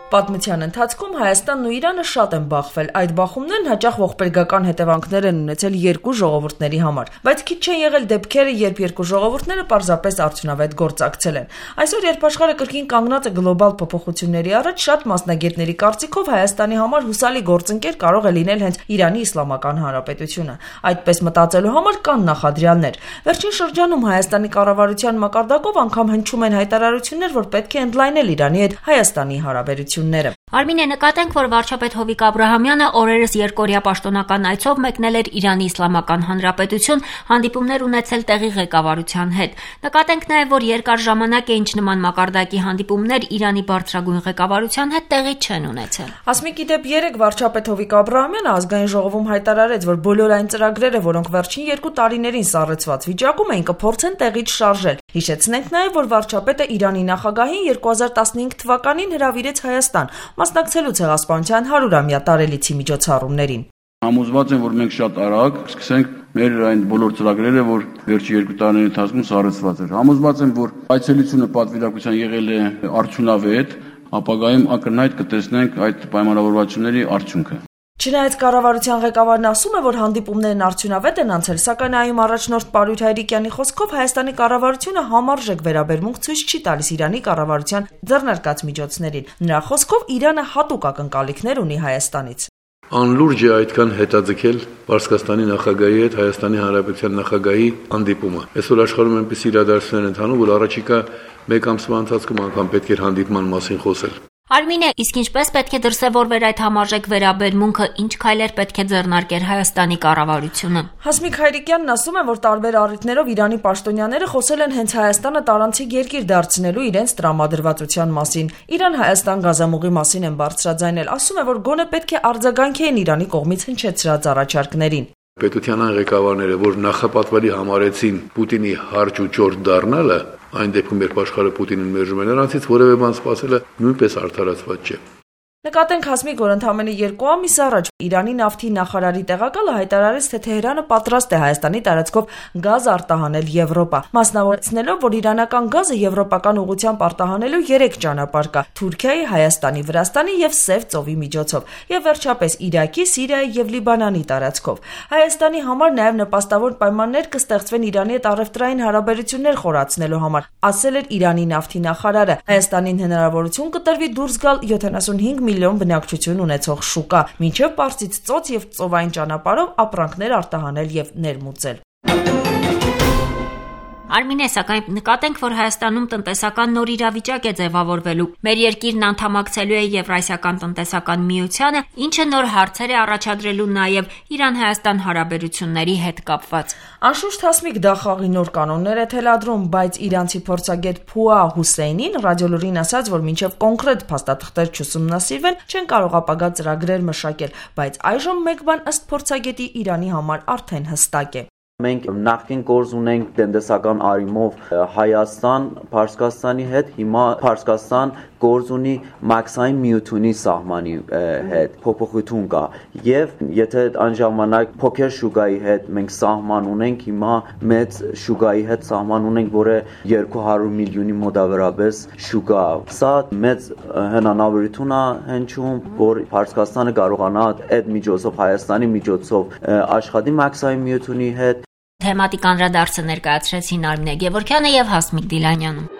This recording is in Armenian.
Պատմության ընթացքում Հայաստանն ու Իրանը շատ են բախվել, այդ բախումներն հաճախ ողբերգական հետևանքներ են ունեցել երկու ժողովուրդների համար, բայց քիչ չեն եղել դեպքերը, երբ երկու ժողովուրդները պարզապես արդյունավետ գործակցել են։ Այսօր, երբ աշխարհը կրկին կանգնած է գլոբալ փոփոխությունների առաջ, շատ մասնագետների կարծիքով Հայաստանի համար հուսալի գործընկեր կարող է լինել հենց Իրանի Իսլամական Հանրապետությունը։ Այդպես մտածելու համար կան նախադրյալներ։ Վերջին շրջանում Հայաստանի կառավարության մակարդակով անգամ հնչում են հայտարարություններ, որ պետք է ընդլայնել Իրանի հետ Հայաստանի հարաբերությունները։ Արմինե, նկատենք, որ վարչապետ Հովիկ Աբրահամյանը օրերս երկօրյա պաշտոնական այցով մեկնել էր Իրանի Իսլամական Հանրապետություն, հանդիպումներ ունեցել տեղի ղեկավարության հետ։ Նկատենք նաև, որ երկար ժամանակ է ինչ նման մակարդակի հանդիպումներ Իրանի բարձրագույն ղեկավարության հետ տեղի չեն ունեցել։ Ասմիկի դեպ երեք վարչապետ Հովիկ Աբրահամյանը ազգային ժողովում հայտարարեց, որ բոլոր այն ծրագրերը, որոնք վերջին 2 տարիներին սառեցված վիճակում էին, կփորձեն տեղից շարժել։ Հիշեցնենք նաև, որ վարչապետը Իրանի նախագահին 2015 թվականին հրավիրեց Հայաստան, մասնակցելու ցեղասպանության 100-ամյա տարելիցի միջոցառումներին։ Համոզված եմ, որ մենք շատ արագ սկսենք մեր այն բոլոր ծրագրերը, որ վերջի 2 տարիների ընթացքում սառեցված էր։ Համոզված եմ, որ այցելությունը պատվիրակության եղել է արդյունավետ, ապագայում ակնհայտ կտեսնենք այդ պայմանավորվածությունների արդյունքը։ Չնայած կառավարության ղեկավարն ասում է, որ հանդիպումներն արդյունավետ են անցել, սակայն այում առաջնորդ Պարույր Հայրիկյանի խոսքով Հայաստանի կառավարությունը համարժեք վերաբերմունք ցույց չի տալիս Իրանի կառավարության ձեռնարկած միջոցներին։ Նրա խոսքով Իրանը հատուկ ակնկալիքներ ունի Հայաստանից։ Անլուրջ է այդքան հետաձգել Պարսկաստանի նախագահի հետ Հայաստանի Հանրապետության նախագահի հանդիպումը։ Այսօր աշխարհում այնպես իրադարձություններ են ընթանում, որ առաջիկա 1 ամսվա ընթացքում անգամ պետք է հանդիպման մասին խոսել։ Արմինե, իսկ ինչպես պետք է դրսևորվեր այդ համարժեք վերաբերմունքը, ինչ քայլեր պետք է ձեռնարկեր Հայաստանի կառավարությունը։ Հասմիկ Հայրիկյանն ասում է, որ տարբեր առիթներով Իրանի պաշտոնյաները խոսել են հենց Հայաստանը տարանցիկ երկիր դարձնելու իրենց տրամադրվածության մասին։ Իրան-Հայաստան գազամուղի մասին են բարձրաձայնել, ասում է, որ գոնե պետք է արձագանքեն Իրանի կողմից հնչեցրած առաջարկներին։ Պետության այն ղեկավարները, որ նախապատվելի համարեցին Պուտինի հարճ ու ճորտ դառնալը, այն դեպքում, երբ աշխարհը Պուտինին մերժում է, նրանցից որևէ բան սպասելը նույնպես արդարացված չէ։ Նկատենք, Հասմիկ, որ ընդամենը 2 ամիս առաջ Իրանի նավթի նախարարի տեղակալը հայտարարեց, թե Թեհրանը պատրաստ է Հայաստանի տարածքով գազ արտահանել Եվրոպա, մասնավորեցնելով, որ իրանական գազը եվրոպական ուղղությամբ արտահանելու 3 ճանապարհ կա՝ Թուրքիայի, Հայաստանի, Վրաստանի եւ Սև ծովի միջոցով, եւ վերջապես Իրաքի, Սիրիայի եւ Լիբանանի տարածքով։ Հայաստանի համար նաեւ նպաստավոր պայմաններ կստեղծվեն Իրանի հետ առևտրային հարաբերություններ խորացնելու համար, ասել էր Իրանի նավթի նախարարը։ Հայաստանին հնարավորություն կտրվի դուրս գալ 75 միլիոն բնակչություն ունեցող շուկա, մինչև Պարսից ծոց եւ ծովային ճանապարհով ապրանքներ արտահանել եւ ներմուծել։ Արմինե, սակայն նկատենք, որ Հայաստանում տնտեսական նոր իրավիճակ է ձևավորվելու։ Մեր երկիրն անդամակցելու է Եվրասիական տնտեսական միությանը, ինչը նոր հարցեր է առաջադրելու նաև Իրան-Հայաստան հարաբերությունների հետ կապված։ Անշուշտ, Հասմիկ, դա խաղի նոր կանոններ է թելադրում, բայց իրանցի փորձագետ Փուա Հուսեյնին ռադիոլուրին ասաց, որ մինչև կոնկրետ փաստաթղթեր չուսումնասիրվեն, չեն կարող ապագա ծրագրեր մշակել, բայց այժմ մեկ բան ըստ փորձագետի Իրանի համար արդեն հստակ է։ Մենք նախկին գործ ունենք տնտեսական առումով Հայաստան, Պարսկաստանի հետ, հիմա Պարսկաստան գործ ունի մաքսային միությունի սահմանի հետ, փոփոխություն կա։ Եվ եթե այն ժամանակ փոքր շուկայի հետ մենք սահման ունենք, հիմա մեծ շուկայի հետ սահման ունենք, որը 200 միլիոնի մոտավորապես շուկա։ Սա մեծ հնարավորություն է հնչում, որ Պարսկաստանը կարողանա այդ միջոցով Հայաստանի միջոցով աշխատի մաքսային միությունի հետ։ Թեմատիկ անդրադարձը ներկայացրեցին Արմինե Գևորգյանը եւ Հասմիկ Դիլանյանը։